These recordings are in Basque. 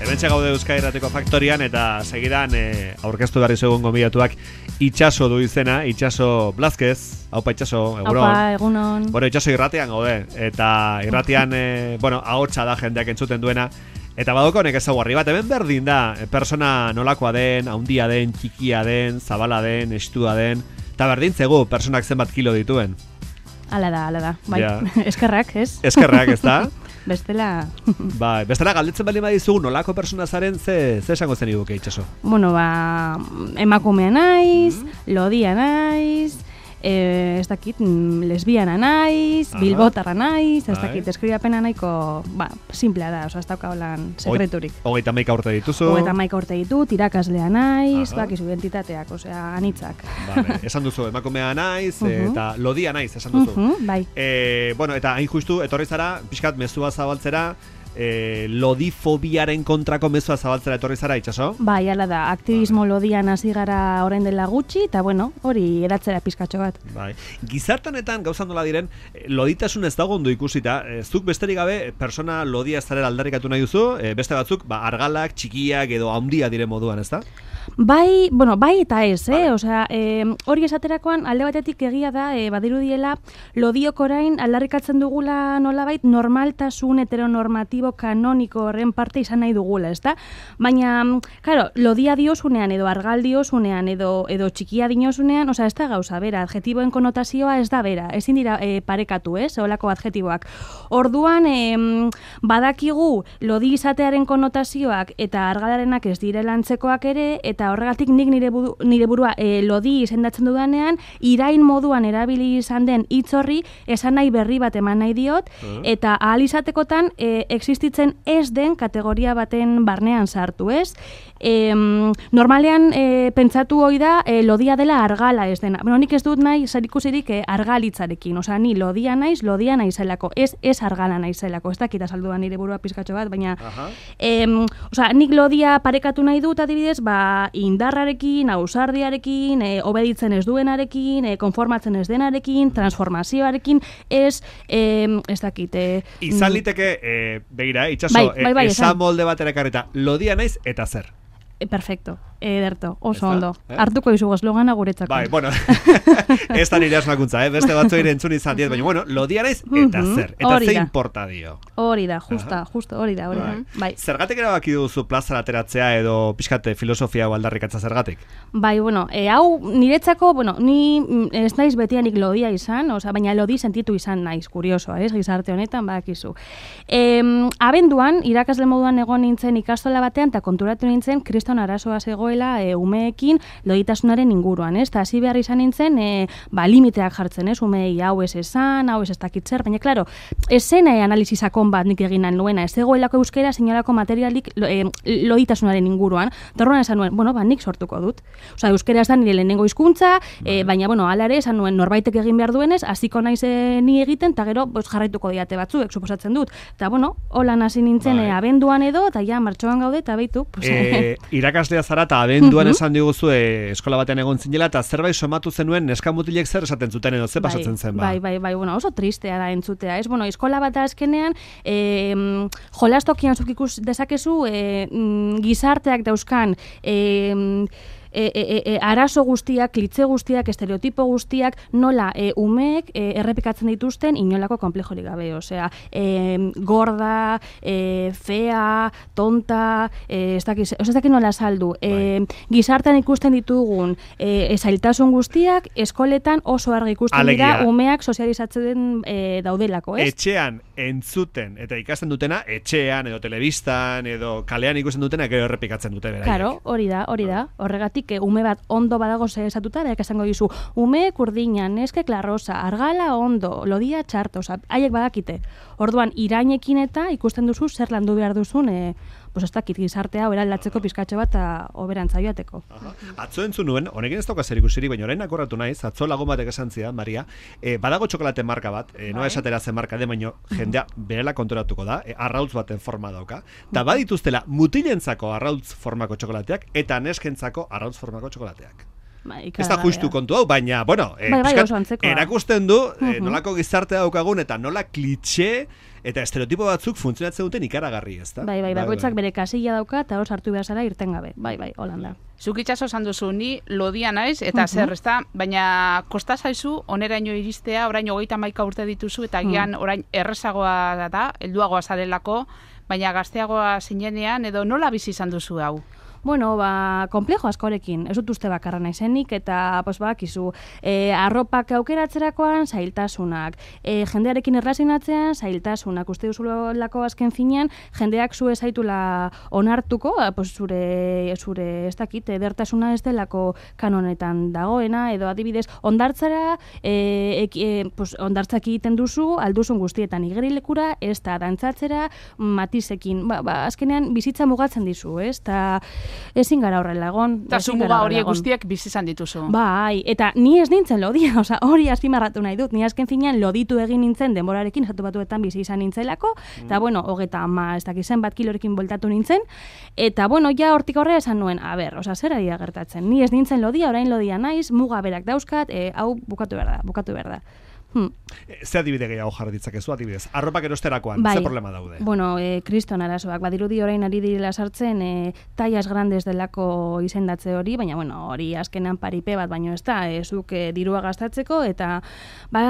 Hementxe gaude Euskadi Irratiko Faktorian eta segidan aurkeztu berri zegoen gonbidatuak Itxaso du izena, Itxaso Blázquez. Aupa Itxaso, egunon. Aupa, egunon. Bueno, Itxaso irratian gaude eta irratian ahotsa da jendeak entzuten duena. Eta badoko honek ezaugarri bat, hemen berdin da, persona nolakoa den, haundia den, txikia den, zabala den, estua den, eta berdin zegu personak zenbat kilo dituen. Hala da, bai, Ja. Eskerrak, ez? Eskerrak, ez da? Bestela... Bai, bestela galdetzen baldin badizugu nolako persona zaren, ze esango zen iguke Itxaso? Bueno, emakumea naiz, lodia naiz, ez dakit, lesbiana naiz, bilbotarra naiz, ez dakit, eskribapena nahiko, simplea da, ez dauka holan sekreturik. 31 urte dituzu. 31 urte ditut, irakaslea naiz, bakizu identitateak, anitzak. Vale, esan duzu, emakumea naiz, eta lodia naiz, esan duzu. Bai. Eta hain justu, etorri zara, pixkat mezua zabaltzera, lodifobiaren kontrako mezua zabaltzera etorri zara, Itxaso? Bai, hala da, aktivismo lodian hasi gara orain dela gutxi, eta hori eratzera pizkatxo bat. Bai. Gizartanetan gauzan nola diren, loditasun ez dago ondo ikusita, zuk besterik gabe, persona lodia ez zarela aldarrikatu nahi duzu, beste batzuk, argalak, txikiak edo handia diren moduan, ez da? Bai eta ez, hori esaterakoan alde batetik egia da, badirudiela, lodiok orain aldarrikatzen dugula nolabait normaltasun heteronormatibo kanoniko horren parte izan nahi dugula, ezta? Baina, claro, lodia diozunean edo argal diozunean edo txikia diozunean, ez da gauza bera, adjetiboen konotazioa ez da bera, ezin dira parekatu, holako adjetiboak. Orduan, badakigu lodi izatearen konotazioak eta argalarenak ez direla antzekoak ere, eta horregatik nik nire burua lodi izendatzen dudanean, irain moduan erabili izan den hitz horri esan nahi berri bat eman nahi diot, eta ahal izatekotan existitzen ez den kategoria baten barnean sartu, ez? Normalean pentsatu hoi da lodia dela argala ez dena. Nik ez dut nahi zerikusirik argalitzarekin, ni lodia naizelako, ez argala naizelako, ez dakit azalduan nire burua pizkatxo bat, baina nik lodia parekatu nahi dut adibidez, indarrarekin, ausardiarekin, obeditzen ez duenarekin, konformatzen ez denarekin, transformazioarekin, ez dakit. Izan liteke, begira, Itxaso, esan molde batera karreta, lodia naiz eta zer? Perfecto, ederto, oso ondo. Hartuko izugu eslogana guretzako. Bai, ez da nire asmakuntza, beste batzu entzun izan diet, baina, lodia naiz eta zer, eta ze importa dio. Hori da, justo, hori da. Bai. Zergatik erabaki duzu plazara ateratzea edo pixkate filosofia hau aldarrikatza zergatik? Bai, hau niretzako, ni ez naiz betianik lodia izan, baina lodi sentitu izan naiz, kuriosoa, gizarte honetan, badakizu. Abenduan, irakasle moduan egon nintzen ikastola batean, eta konturatu nintzen, kriston arazoa zegoela umeekin loditasunaren inguruan, eta hasi behar izan nintzen, limiteak jartzen, umei hau ez esan, hau ez dakitzer, baina, klaro, ez zen analizisakon bat nik egin nuena, ez zegoelako euskera sinolako materialik loditasunaren inguruan, eta horren esan nuen, nik sortuko dut. Euskera ez da nire lehenengo hizkuntza, baina, hala ere, esan nuen norbaitek egin behar duenez, hasiko naiz ni egiten, eta gero jarraituko diate batzuek, suposatzen dut. Eta, holan hasi nintzen abenduan edo, eta ja, martxoan gaude, eta behitu. Irakaslea zara eta abenduan esan diguzu eskola batean egon zinela, eta zerbait somatu zenuen neska mutilek zer esaten zuten edo ze pasatzen zen ba? Bai, oso tristea da entzutea, ez? Eskola bat azkenean, jolastokian zuk ikus dezakezu gizarteak dauzkan arazo guztiak, klitze guztiak, estereotipo guztiak, nola umeek errepikatzen dituzten inolako konplejorik gabe, gorda, fea, tonta, ez dakit nola saldu. Gizartean ikusten ditugun zailtasun guztiak, eskoletan oso argi ikusten dira umeak sozializatzen daudelako, ez? Etxean entzuten eta ikasten dutena, etxean edo telebistan edo kalean ikusten dutena gero errepikatzen dute beraiek. Claro, hori da. Horregatik ume bat ondo badago zehazatuta, berak esango dizu, ume kurdina, neske klarrosa, argala ondo, lodia txarto, haiek badakite. Orduan, irainekin eta ikusten duzu zer landu behar duzun, ez dakit gizartea eraldatzeko pizkatxo bat oberantza joateko. Atzo entzun nuen, honekin ez dauka zer ikusiri, baina orain akorratu naiz, atzo lagun batek esan zidan, Maria, badago txokolate marka bat, noa esatera zen marka de, baina jendea berela konturatuko da, arrautz baten forma dauka, eta badituztela mutilentzako arrautz formako txokolateak eta neskentzako arrautz formako txokolateak. Ez da justu kontu hau, baina, bueno, erakusten du nolako gizartea daukagun eta nola klitxe eta estereotipo batzuk funtzionatzen duten ikaragarri, ez da? Bai, bakoitzak bere kasilla dauka eta hor sartu behar zara irten gabe. Bai, holanda. Zuk itxaso esan duzu, ni lodia naiz, eta zer, ez da? Baina kosta zaizu, oneraino iristea, orain 31 urte dituzu, eta gian orain errezagoa da, helduagoa zarelako, baina gazteagoa zinenean, edo nola bizi izan duzu hau? Bueno, komplejo askorekin, ez dut uste bakarra naizenik, eta bakizu, arropak aukeratzerakoan zailtasunak, jendearekin erlazionatzean zailtasunak, uste duzulako azken finean, jendeak zu ezaitula onartuko, zure ez dakit, edertasuna ez delako kanonetan dagoena, edo adibidez, ondartzara, ondartzak egiten duzu, alduzun guztietan igerilekura, ez da dantzatzera, matizekin, azkenean bizitza mugatzen dizu, ez, eta ezin gara horrela egon. Eta zu muga horiek guztiek bizi izan dituzu. Bai, eta ni ez nintzen lodia, hori azpimarratu nahi dut. Ni azken finean loditu egin nintzen denborarekin, estatu batuetan bizi izan nintzelako, eta bueno, ez dakizen bat kilorekin bueltatu nintzen, eta bueno, ja hortik horre esan nuen, zer ari da gertatzen. Ni ez nintzen lodia, orain lodia naiz, muga berak dauzkat, hau bukatu behar da. Ze adibide gehiago jarri ditzakezu, adibidez? Arropak erosterakoan, ze problema daude? Bueno, kriston arazoak, badirudi orain ari direla sartzen, tallas grandes delako izendatze hori, baina bueno, hori azkenean paripe bat, baino ez da, zuk dirua gastatzeko, eta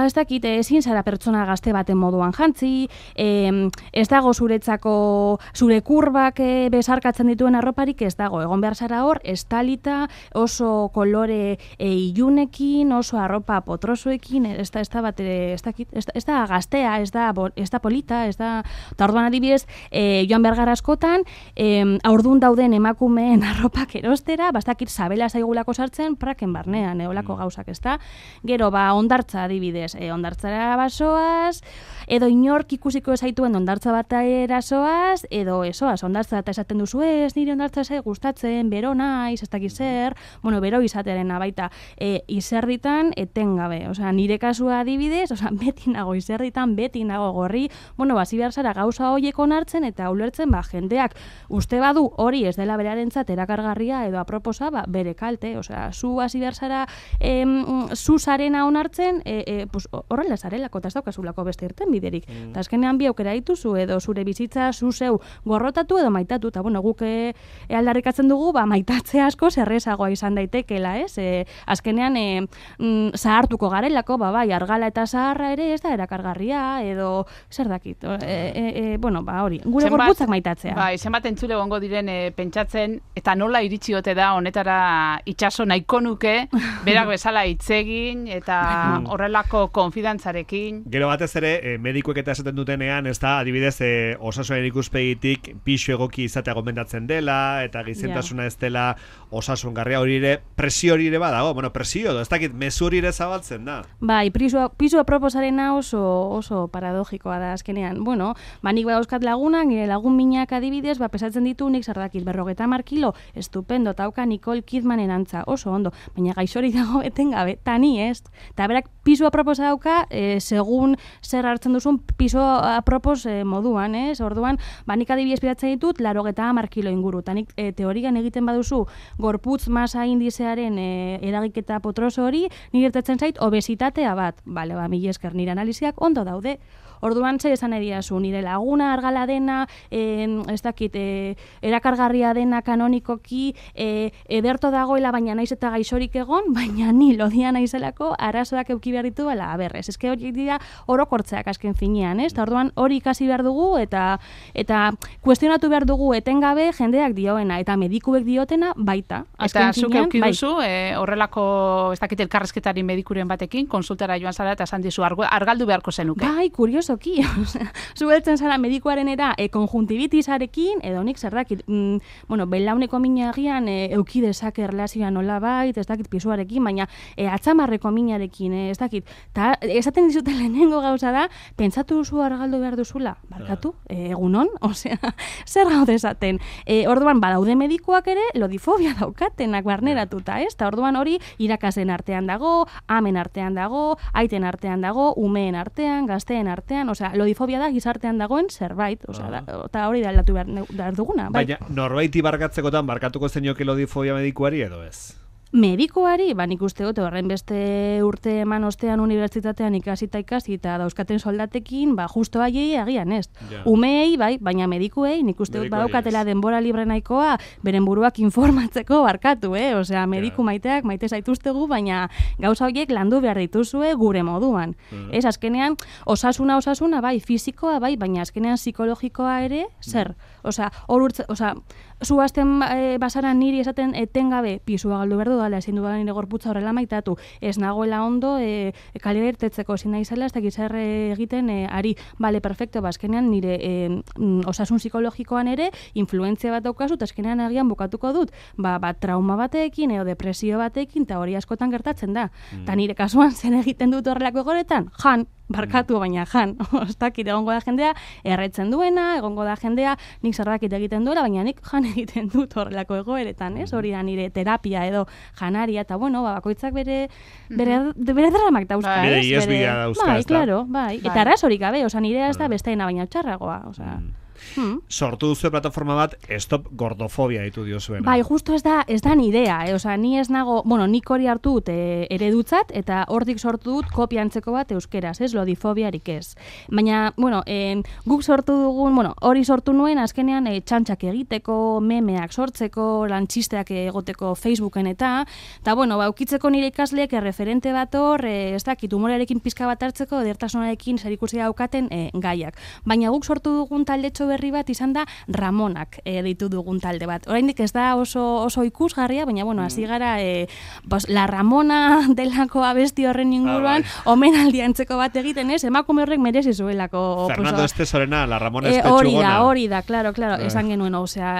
ez dakit, ezin zara pertsona gazte baten moduan jantzi, ez dago zuretzako, zure kurbak besarkatzen dituen arroparik ez dago, egon behar zara hor, estalita, oso kolore ilunekin, oso arropa potrosoekin, ez da gaztea, ez da polita, ez da... Eta orduan adibidez, joan behar gara askotan, aurdun dauden emakumeen arropak erostera, bastakit sabela zaigulako sartzen, praken barnean, eolako gauzak, ez da? Gero, ondartza adibidez, ondartzara basoaz, edo inork ikusiko ezaituen ondartza bat erasoaz, edo esoaz, ondartza eta esaten duzu ez, nire ondartza ez gustatzen, bero naiz, ez dakiz zer, bueno, bero izatearen baita, izerritan etengabe, nire kasua adibidez, beti nago izerritan, beti nago gorri, bueno, hasi behar zara gauza horiek onartzen eta ulertzen, jendeak uste badu hori ez dela berarentzat erakargarria edo aproposa, bere kalte, zu hasi behar zara zu zarena onartzen, horrela zarelako, eta ez daukazulako beste irten biderik. Eta azkenean bi aukera dituzu, edo zure bizitza zu zeu gorrotatu edo maitatu, eta bueno, guk aldarrikatzen dugu, maitatze asko zerrezagoa izan daitekela, ez? Azkenean zahartuko garelako, bai, argala eta zaharra ere ez da erakargarria, edo zer dakit, hori, gure gorputzak maitatzea. Bai, zenbat entzule gongo diren pentsatzen, eta nola iritsi ote da honetara itxaso nahiko nuke, berak bezala hitzegin, eta horrelako konfidantzarekin. Gero batez ere, medikuek eta esaten dutenean, ez da, adibidez, osasunaren ikuspegitik pixu egoki izatea gomendatzen dela, eta gizentasuna ez dela osasungarria hori ere, presio hori ere badago, presio, ez dakit, mezu hori ere zabaltzen da. Bai, pisu aproposarena oso paradogikoa da azkenean. Bueno, nik badauzkat lagunak, nire lagun minak adibidez, pesatzen ditu nik zardakit 50 kilo, estupendo, tauka Nicole Kidmanen antza, oso ondo, baina gaixori dago etengabe, tani ez. Eta berak pisu aproposa dauka, segun zer hartzen duzun pisu apropos moduan, ez? Orduan, nik adibidez piratzen ditut, 50 kilo inguru, eta nik teorian egiten baduzu gorputz masa indizearen eragiketa potroso hori, nire gertatzen zait obesitatea bat. Bale, mila esker, nire analiziak ondo daude. Orduan zer esan ediazu, nire laguna argala dena, ez dakit, erakargarria dena kanonikoki, ederto dagoela, baina naiz eta gaixorik egon, baina ni lodia naizelako arazoak euki behar ditu, ez ezke hori dira orokortzeak azken finean, ez? Orduan hori ikasi behar dugu, eta kuestionatu behar dugu etengabe jendeak dioena, eta medikuek diotena baita. Eta zuk euki duzu, horrelako, ez dakit elkarrezketari medikuren batekin, konsultara joan zara eta esan dizu, argaldu beharko zenuke. Bai, kuriosoki, zueltzen zara medikuarenera konjuntibitisarekin, edo nik zerdakit, belauneko minagian euki dezake erlazioa nola bait, ez dakit pisuarekin, baina atzamarreko minarekin, ez dakit, eta esaten dizute lehenengo gauza da, pentsatu duzu argaldu behar duzula, barkatu, egunon, zer gaude esaten. Orduan, badaude medikuak ere, lodifobia daukatenak barneratuta, ez? Eta orduan hori irakasen artean dago, amen artean dago, aiten artean dago, umeen artean, gazteen artean, lodifobia da gizartean dagoen zerbait, eta hori da aldatu behar duguna. Baina, norbaiti barkatzekotan barkatuko zenioke lodifobia medikuari edo ez? Medikuari, nik uste dut, horren beste urte eman ostean unibertsitatean ikasi eta dauzkaten soldatekin, justo haiei agian ez. Ja. Umeei, baina medikuei, nik uste dut badaukatela denbora libre nahikoa, beren buruak informatzeko barkatu, Osea, mediku maiteak, maite zaituztegu, baina gauza horiek landu behar dituzue gure moduan. Ez, azkenean, osasuna, bai, fisikoa, bai, baina azkenean psikologikoa ere, zer? Osea, zu azten basaran niri esaten etengabe pisua galdu behar dudala, ezin dudala nire gorputza horrela maitatu, ez nagoela ondo kalera irtetzeko, ezin nahi zela, ez dakiz egiten ari, bale, perfecto, azkenean nire osasun psikologikoan ere influentzia bat daukazu, eta azkenean agian bukatuko dut, trauma batekin, edo depresio batekin, eta hori askotan gertatzen da. Eta nire kasuan zen egiten dut horrelako egoretan, barkatu baina ostakit egongo da jendea, erretzen duena, egongo da jendea, nik zerbakit egiten duela, baina nik egiten dut horrelako egoeretan, ez? Hori da nire terapia edo janaria, eta bakoitzak bere dramak dauzka, ez? Bere iesbidea dauzka, ez da? Bai, klaro, bai. Eta arazorik gabe, nire ez da besteena baina txarragoa, Sortu duzu plataforma bat, Stop Gordofobia ditu diozuena. Bai, justo ez da nidea, ni ez nago, nik hori hartu dut eredutzat, eta hortik sortu dut kopia antzeko bat euskeraz, ez, lodifobiarik ez. Baina, guk sortu dugun, hori sortu nuen, azkenean txantxak egiteko, memeak sortzeko, lantxisteak egoteko Facebooken eta ukitzeko nire ikasleek referente bat hor, ez dakit, humorearekin pizka bat hartzeko, edertasunarekin zerikusia daukaten gaiak. Baina guk sortu dugun taldetxo berri bat izan da Ramonak ditu dugun talde bat. Oraindik ez da oso ikusgarria, baina hasi gara La Ramona delako abesti horren inguruan omenaldi antzeko bat egiten, ez? Emakume horrek merezi zuelako. Fernando Estesorena, La Ramona espetxugona. Hori da, claro, esan genuen,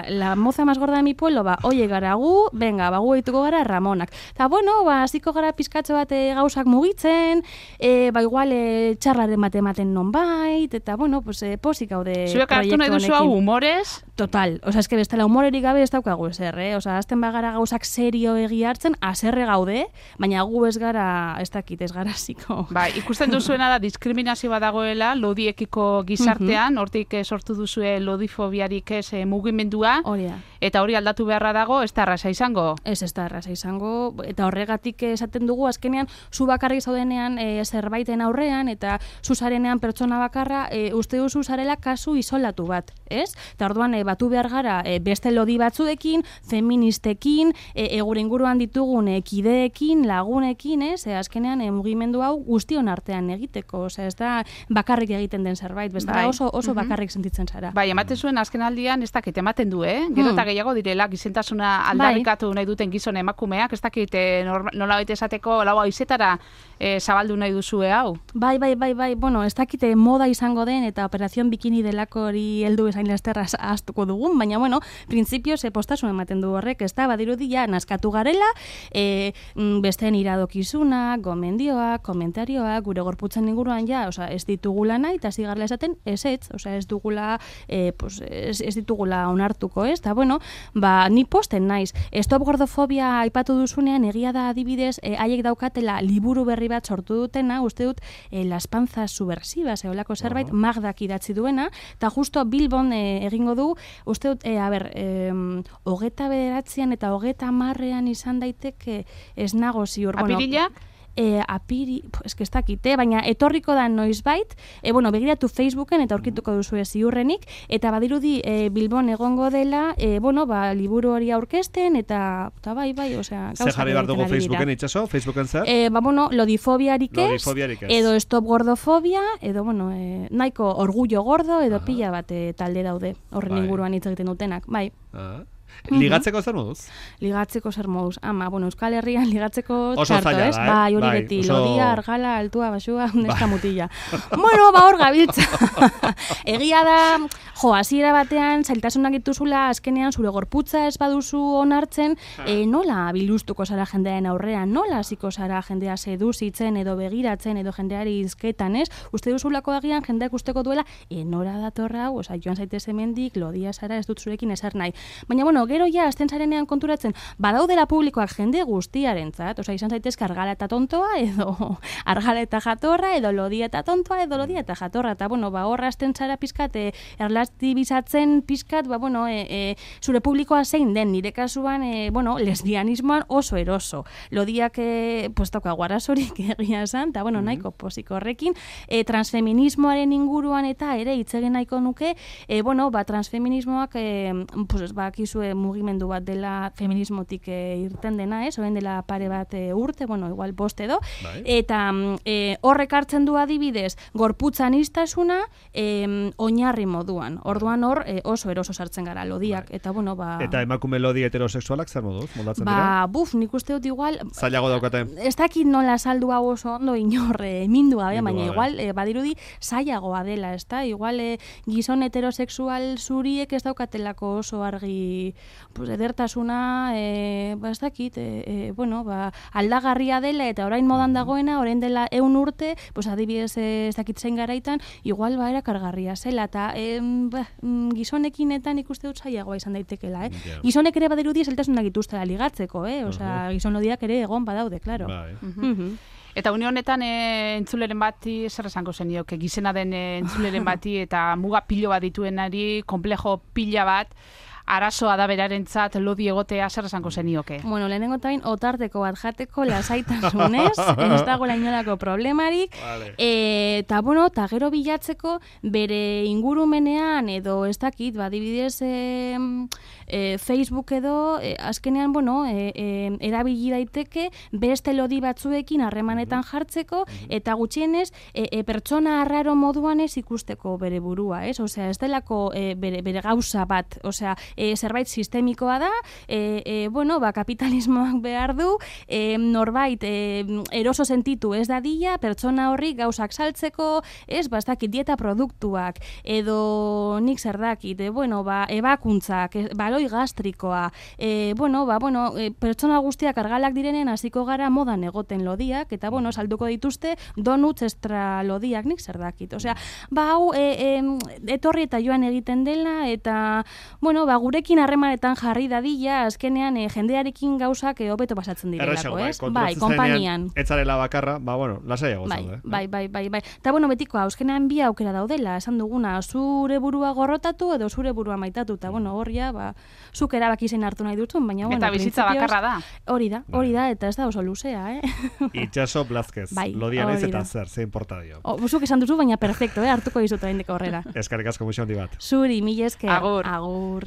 la moza más gorda de mi pueblo, oie gara gu, venga, gu eituko gara Ramonak. Eta hasiko gara pizkatxo bat gauzak mugitzen, igual txarraren bat ematen nonbait, eta posik gaude proiektu nahi duzu hau humorez? Total, eske bestela humorerik gabe ez daukagu ezer, azten bagara gauzak serio egia hartzen, haserre gaude, baina gu ez gara, ez dakit, ez gara ziko. Ikusten duzuena da diskriminazio bat dagoela lodiekiko gizartean, hortik sortu duzue lodifobiarik ez mugimendua, eta hori aldatu beharra dago, ez da erraza izango? Ez da erraza izango, eta horregatik esaten dugu, azkenean, zu bakarrik zaudenean zerbaiten aurrean, eta zu zarenean pertsona bakarra, uste duzu zarela kasu isolatu bat, ez? Eta orduan batu behar gara beste lodi batzuekin, feministekin, gure inguruan ditugun kideekin, lagunekin, ez? Azkenean mugimendu hau guztion artean egiteko, ez da bakarrik egiten den zerbait, bestela oso bakarrik sentitzen zara. Ematen zuen azken aldian ez dakit ematen du, gero eta gehiago direla gizentasuna aldarrikatu nahi duten gizon emakumeak, ez dakit nola baita esateko laua izetara zabaldu nahi duzue hau? Bai, ez dakite moda izango den eta operazion bikini delako hori heldu esain lasterra ahaztuko dugun, baina printzipioz postasun ematen du horrek, ez da, badirudia naskatu garela, besteen iradokizuna, gomendioak, komentarioak, gure gorputzen inguruan ez ditugula nahi, eta zigarla esaten ez dugula ez ditugula onartuko, ez, eta ni posten naiz. Stop Gordofobia aipatu duzunean, egia da adibidez, haiek daukatela liburu berri bat sortu dutena, uste dut, Las panzas subversivas, eolako zerbait, Magdak idatzi duena, eta justo Bilbon egingo du, uste dut, 29an eta 30ean izan daiteke ez nago ziur. Apirila? Eske ez dakite, baina etorriko da noizbait, begiratu Facebooken eta aurkituko duzu ziurrenik, eta badirudi Bilbon egongo dela, liburu hori aurkezten, eta bai, osea, gauza. Zer jarri behar dugu Facebooken itxaso? Facebooken zer? Lodifobiarik ez, edo Stop Gordofobia, edo, nahiko orgullo gordo, edo pila bat talde daude, horren inguruan hitz egiten dutenak, bai. Ligatzeko zer moduz? Ligatzeko zer moduz. Euskal Herrian ligatzeko txarto, ez? Bai, hori beti. Lodia, argala, altua, basua, neska mutila. Hor gabiltza. Egia da, hasiera batean, zailtasunak dituzula, azkenean zure gorputza ez baduzu onartzen, nola biluztuko zara jendearen aurrean, nola hasiko zara jendea seduzitzen edo begiratzen edo jendeari izketan, ez? Uste duzulako agian jendeak usteko duela, nora datorra hau, joan zaitez hemendik, lodia zara, ez dut zurekin ezer nahi. Baina, bueno, gero ja, azten zarenean konturatzen, badaudela publikoak jende guztiarentzat, osea, izan zaitezke argala eta tontoa, edo argala eta jatorra, edo lodia eta tontoa, edo lodia eta jatorra, eta, bueno, horra azten zara pizkat, erlatibizatzen pizkat, zure publikoa zein den, nire kasuan, lesbianismoan oso eroso. Lodiak, dauka guarazorik egia esan, eta, nahiko posiko horrekin, transfeminismoaren inguruan eta ere itzegen nahiko nuke, transfeminismoak, bakizue mugimendu bat dela feminismotik irten dena, orain dela pare bat urte, igual 5 edo, eta horrek hartzen du adibidez, gorputzaniztasuna oinarri moduan. Orduan hor oso eroso sartzen gara lodiak, eta Eta emakume lodi heterosexualak zer moduz, moldatzen dira? Nik uste dut igual... Zailago daukaten. Ez dakit nola saldu hau oso ondo inor mindu gabe, baina igual badirudi zailagoa dela, ezta? Igual gizon heterosexual zuriek ez daukatelako oso argi edertasuna, ez dakit, aldagarria dela eta orain modan dagoena, orain dela 100 urte, adibidez ez dakit zein garaitan, igual erakargarria zela, eta gizonekinetan ikuste dut zailagoa izan daitekela, Gizonek ere badirudi zeltasunak dituztela ligatzeko, osea, gizon lodiak ere egon badaude, klaro. Eta une honetan entzuleren bati zer esango zenioke, gizena den entzuleren bati eta muga pilo bat dituenari, komplejo pila bat, arazoa da berarentzat lodi egotea zer esango zenioke? Lehenengo tain, otarteko bat jateko lasaitasunez, ez dagoela inolako problemarik, eta gero bilatzeko bere ingurumenean edo ez dakit, adibidez Facebook edo, azkenean, erabili daiteke beste lodi batzuekin harremanetan jartzeko, eta gutxienez, pertsona arraro moduan ez ikusteko bere burua, ez? Osea, ez delako bere gauza bat, osea, zerbait sistemikoa da, kapitalismoak behar du, norbait eroso sentitu ez dadila, pertsona horri gauzak saltzeko, ez, bastakit dieta produktuak, edo nik zerdakit, ebakuntzak, baloi gastrikoa, pertsona guztiak argalak direnen hasiko gara modan egoten lodiak, eta salduko dituzte donuts extra lodiak, nik zerdakit. Osea, hau etorri eta joan egiten dela, eta, gurekin harremanetan jarri dadila, azkenean jendearekin gauzak hobeto pasatzen direlako, ez? Bai, konpainian. Etzarela bakarra, lasaiago zaude. Bai. Eta betiko, azkenean bi aukera daudela, esan duguna, zure burua gorrotatu edo zure burua maitatu, eta horria, zuk erabaki zen hartu nahi dutun, baina eta bizitza bakarra da. Hori da, eta ez da oso luzea, Itxaso Blazquez, lodian ez eta zer importa dio. Zuk esan duzu, baina perfecto, hartuko dizut oraindik aurrera. Eskerrik asko muixo handi bat. Zuri, mila esker. Agur.